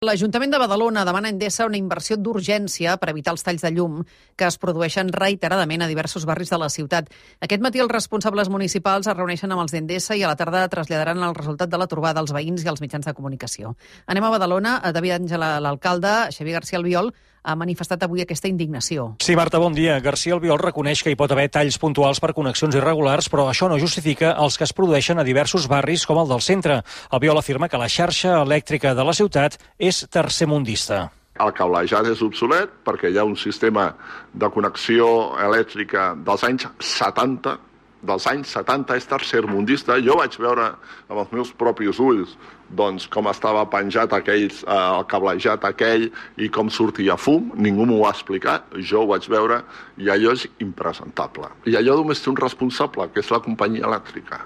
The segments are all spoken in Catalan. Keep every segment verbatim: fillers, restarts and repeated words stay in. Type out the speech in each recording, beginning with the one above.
L'Ajuntament de Badalona demana a Endesa una inversió d'urgència per evitar els talls de llum que es produeixen reiteradament a diversos barris de la ciutat. Aquest matí els responsables municipals es reuneixen amb els d'Endesa i a la tarda traslladaran el resultat de la trobada als veïns i als mitjans de comunicació. Anem a Badalona. David Àngel, l'alcalde, Xavier García Albiol, ha manifestat avui aquesta indignació. Sí, Marta, bon dia. García Albiol reconeix que hi pot haver talls puntuals per connexions irregulars, però això no justifica els que es produeixen a diversos barris com el del centre. Albiol afirma que la xarxa elèctrica de la ciutat és tercermundista. El cablejat és obsolet perquè hi ha un sistema de connexió elèctrica dels anys setanta, dels anys setanta és tercermundista. Jo vaig veure amb els meus propis ulls doncs, com estava penjat aquells, eh, el cablejat aquell i com sortia fum. Ningú m'ho ha explicat, jo ho vaig veure i allò és impresentable. I allò només té un responsable, que és la companyia elèctrica.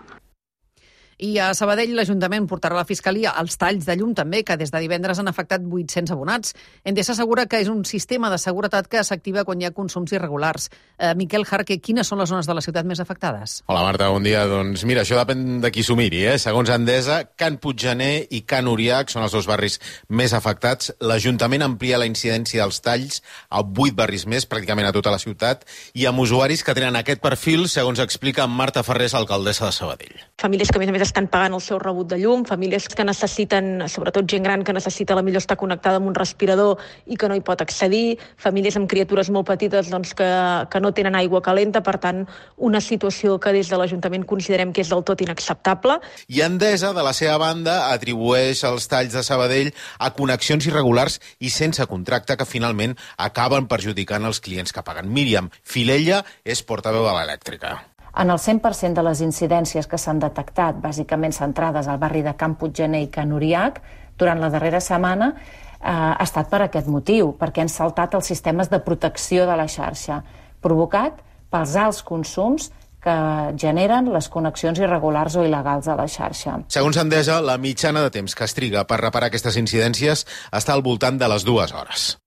I a Sabadell l'Ajuntament portarà a la Fiscalia els talls de llum també, que des de divendres han afectat vuit-cents abonats. Endesa assegura que és un sistema de seguretat que s'activa quan hi ha consums irregulars. Eh, Miquel Jarque, quines són les zones de la ciutat més afectades? Hola Marta, bon dia. Doncs mira, això depèn de qui s'ho miri, eh? Segons Endesa, Can Puiggener i Can Uriach són els dos barris més afectats. L'Ajuntament amplia la incidència dels talls a vuit barris més, pràcticament a tota la ciutat, i amb usuaris que tenen aquest perfil, segons explica Marta Ferrés, alcaldessa de Sabadell. Famílies que a més a més estan pagant el seu rebut de llum, famílies que necessiten, sobretot gent gran que necessita a la millor estar connectada amb un respirador i que no hi pot accedir, famílies amb criatures molt petites doncs, que, que no tenen aigua calenta, per tant, una situació que des de l'Ajuntament considerem que és del tot inacceptable. I Endesa, de la seva banda, atribueix els talls de Sabadell a connexions irregulars i sense contracte que finalment acaben perjudicant els clients que paguen. Míriam Filella és portaveu de l'elèctrica. En el cent per cent de les incidències que s'han detectat, bàsicament centrades al barri de Can Puiggener i Can Uriach, durant la darrera setmana, eh, ha estat per aquest motiu, perquè han saltat els sistemes de protecció de la xarxa, provocat pels alts consums que generen les connexions irregulars o il·legals a la xarxa. Segons Endesa, la mitjana de temps que es triga per reparar aquestes incidències està al voltant de les dues hores.